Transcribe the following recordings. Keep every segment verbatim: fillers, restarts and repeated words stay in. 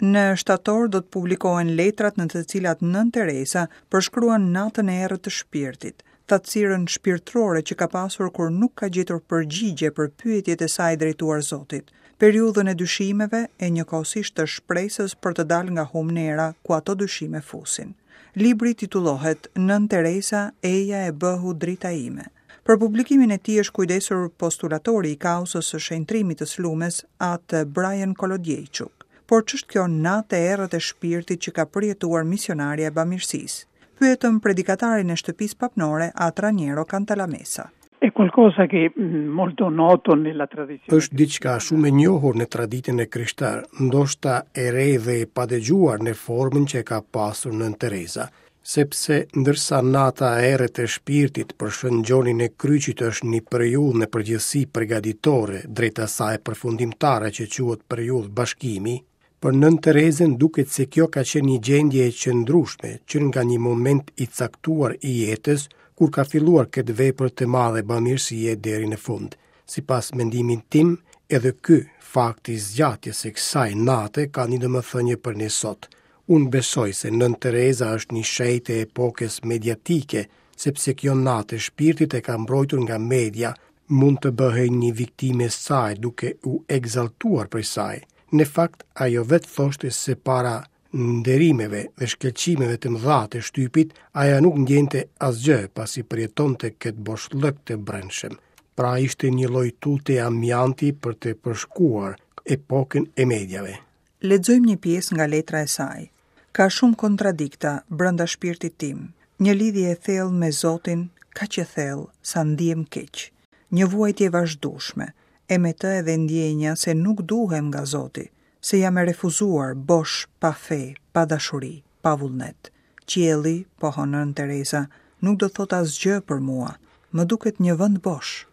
Në shtator do të publikohen letrat në të cilat Nënë Teresa përshkruan natën e errët të shpirtit, thatësirën shpirtërore që ka pasur kur nuk ka gjetur përgjigje për pyetjet e saj drejtuar Zotit, periudhën e dyshimeve e njëkohësisht të shpresës për të dalë nga humnera ku ato dyshime fusin. Libri titullohet Nënë Teresa, Eja e bëhu drita ime. Për publikimin e tij është kujdesur postulatori i kauzës së shenjtrimit të Slumes, atë Brian Kolodjejçuk. Por ç'është kjo natë e errët e shpirtit që ka përjetuar misionarja e bamirësisë? Pyetëm predikatarin e shtëpisë papnore, atë Raniero Cantalamessa. È qualcosa che mm, molto noto nella tradizione. Është diçka shumë e njohur në traditën e krishterë, ndoshta e re dhe e padëgjuar në formën që e ka pasur Nënë Teresa, sepse ndërsa nata e errët e shpirtit për Shën Gjonin e Kryqit është një periudhë në përgjithësi përgatitore drejt asaj përfundimtare që quhet periudhë bashkimi, për Nënë Terezën duket se kjo ka qenë një gjendje e qëndrueshme që nga një moment i caktuar i jetës kur ka filluar këtë vepër të madhe bamirësie deri në fund. Sipas mendimit tim, edhe ky fakt i zgjatjes së kësaj nate ka një domethënie për ne sot. Unë besoj se Nënë Tereza është një shenjtë e epokës mediatike, sepse kjo natë e shpirtit e ka mbrojtur nga media, mund të bëhej një viktimë e saj duke u ekzaltuar prej saj. Në fakt, ajo vetë thoshte se para nderimeve dhe shkëlqimeve të mëdha të shtypit, ajo nuk ndjente asgjë pasi përjetonte këtë boshllëk të brendshëm. Pra ishte një lloj tulte amianti për të përshkuar epokën e mediave. Lexojmë një pjesë nga letra e saj. Ka shumë kontradikta brenda shpirtit tim. Një lidhje e thellë me Zotin, kaq e thellë sa ndihem keq. Një vuajtje e vazhdueshme, e me të edhe ndjenja se nuk duhem nga Zoti, se jam e refuzuar, bosh, pa fe, pa dashuri, pa vullnet. Qielli, pohon Nënë Teresa, nuk do thot asgjë për mua, më duket një vend bosh.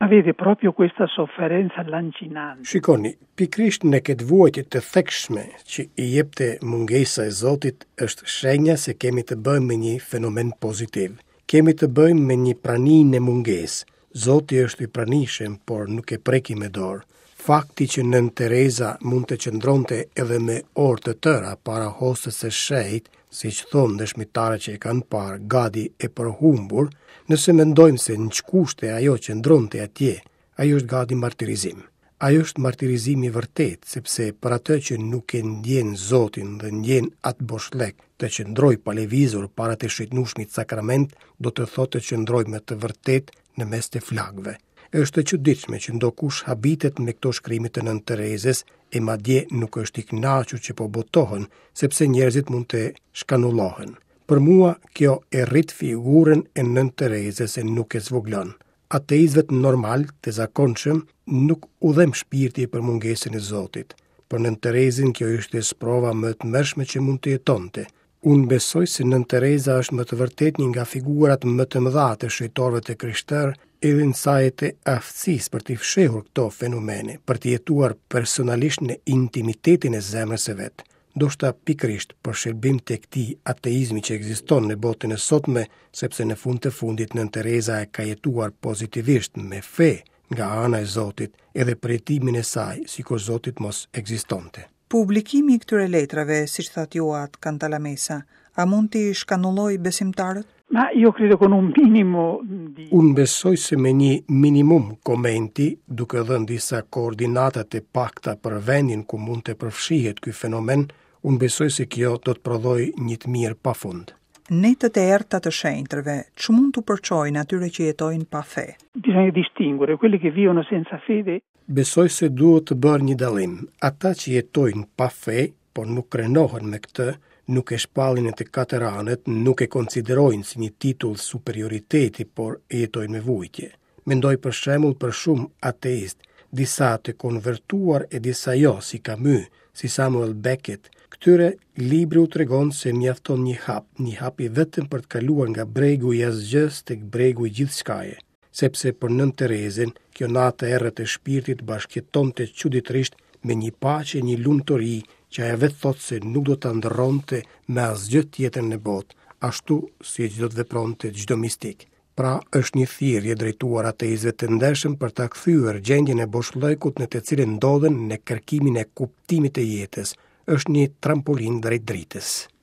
Ma vede proprio questa sofferenza lancinante. Shikoni, pikërisht në këtë vuajtje të thekshme që i jepte mungesa e Zotit është shenja se kemi të bëjmë me një fenomen pozitiv. Kemi të bëjmë me një prani në mungesë. Zoti është i pranishëm, por nuk e preki me dorë. Fakti që Nënë Teresa mund të qëndronte edhe me orë të tëra para hostës së shenjtë, siç thonë dëshmitarët që e kanë parë gati e përhumbur, nëse mendojmë se në ç'kushte ajo qëndronte atje, ajo është gati martirizim. Ajo është martirizim i vërtet, sepse për atë që nuk e ndjen Zotin dhe ndjen atë boshllëk, të qëndroj pa lëvizur para të shenjtnueshmit sakrament, do të thotë të qëndroj me të vërtet në mes të flakëve. Është e çuditshme që ndokush habitet me këto shkrime të Nënë Terezës e madje nuk është i kënaqur që po botohen, sepse njerëzit mund të shkanullohen. Për mua, kjo e rrit figurën e Nënë Terezës e nuk e zvoglon. Ateistëve normal, të zakonshëm, nuk u dhem shpirti për mungesën e Zotit. Për Nënë Terezën kjo ishte sprova më e tmerrshme që mund të jetonte. Unë besoj se Nënë Tereza është më të vërtet një nga figurat më të mëdha të shenjtorëve të krishterë, edhe në saje të aftësisë për t'i fshehur këto fenomene, për t'i jetuar personalisht në intimitetin e zemrës së vet. Ndoshta pikërisht për shërbim të këtij ateizmi që ekziston në botën e sotme, sepse në fund të fundit Nënë Tereza e ka jetuar pozitivisht me fe nga ana e Zotit, edhe përjetimin e saj, sikur Zotit mos ekzistonte. Publikimi i këtyre letrave, siç thatë ju atë Cantalamessa, a mund t'i shkanulloj besimtarët? Ma io credo con un minimo di Unë besoj se me një minimum komenti, duke dhënë disa koordinata të pakta për vendin ku mund të përfshihet ky fenomen, unë besoj se kjo do të prodhojë një të mirë pafund. Netët e errëta të shenjtërve, ç'mund t'u përçojnë atyre që jetojnë pa fe? Bisogna distinguere quelli che vivono senza fede. Besoj se duhet të bërë një dallim. Ata që jetojnë pa fe, por nuk krenohen me këtë, nuk e shpallin në të katër anët, nuk e konsiderojnë si një titull superioriteti, por e jetojnë me vujtje. Mendoj për shembull për shumë ateist, disa të konvertuar e disa jo, si Camus, si Samuel Beckett. Këtyre libri u tregon se mjafton një hap, një hap i vetëm për të kaluar nga bregu i asgjës tek bregu i gjithçkaje. Sepse për Nënë Terezën, kjo natë e errët e shpirtit bashkëjetonte çuditërisht me një paqe, një lumturi që ajo vetë thotë se nuk do ta ndërronte me asgjë tjetër në botë, ashtu siç do të vepronte çdo mistik. Pra, është një thirrje drejtuar ateistëve të ndershëm për ta kthyer gjendjen e boshllëkut në të cilën ndodhen në kërkimin e kuptimit të jetës. është një trampolinë drejt dritës.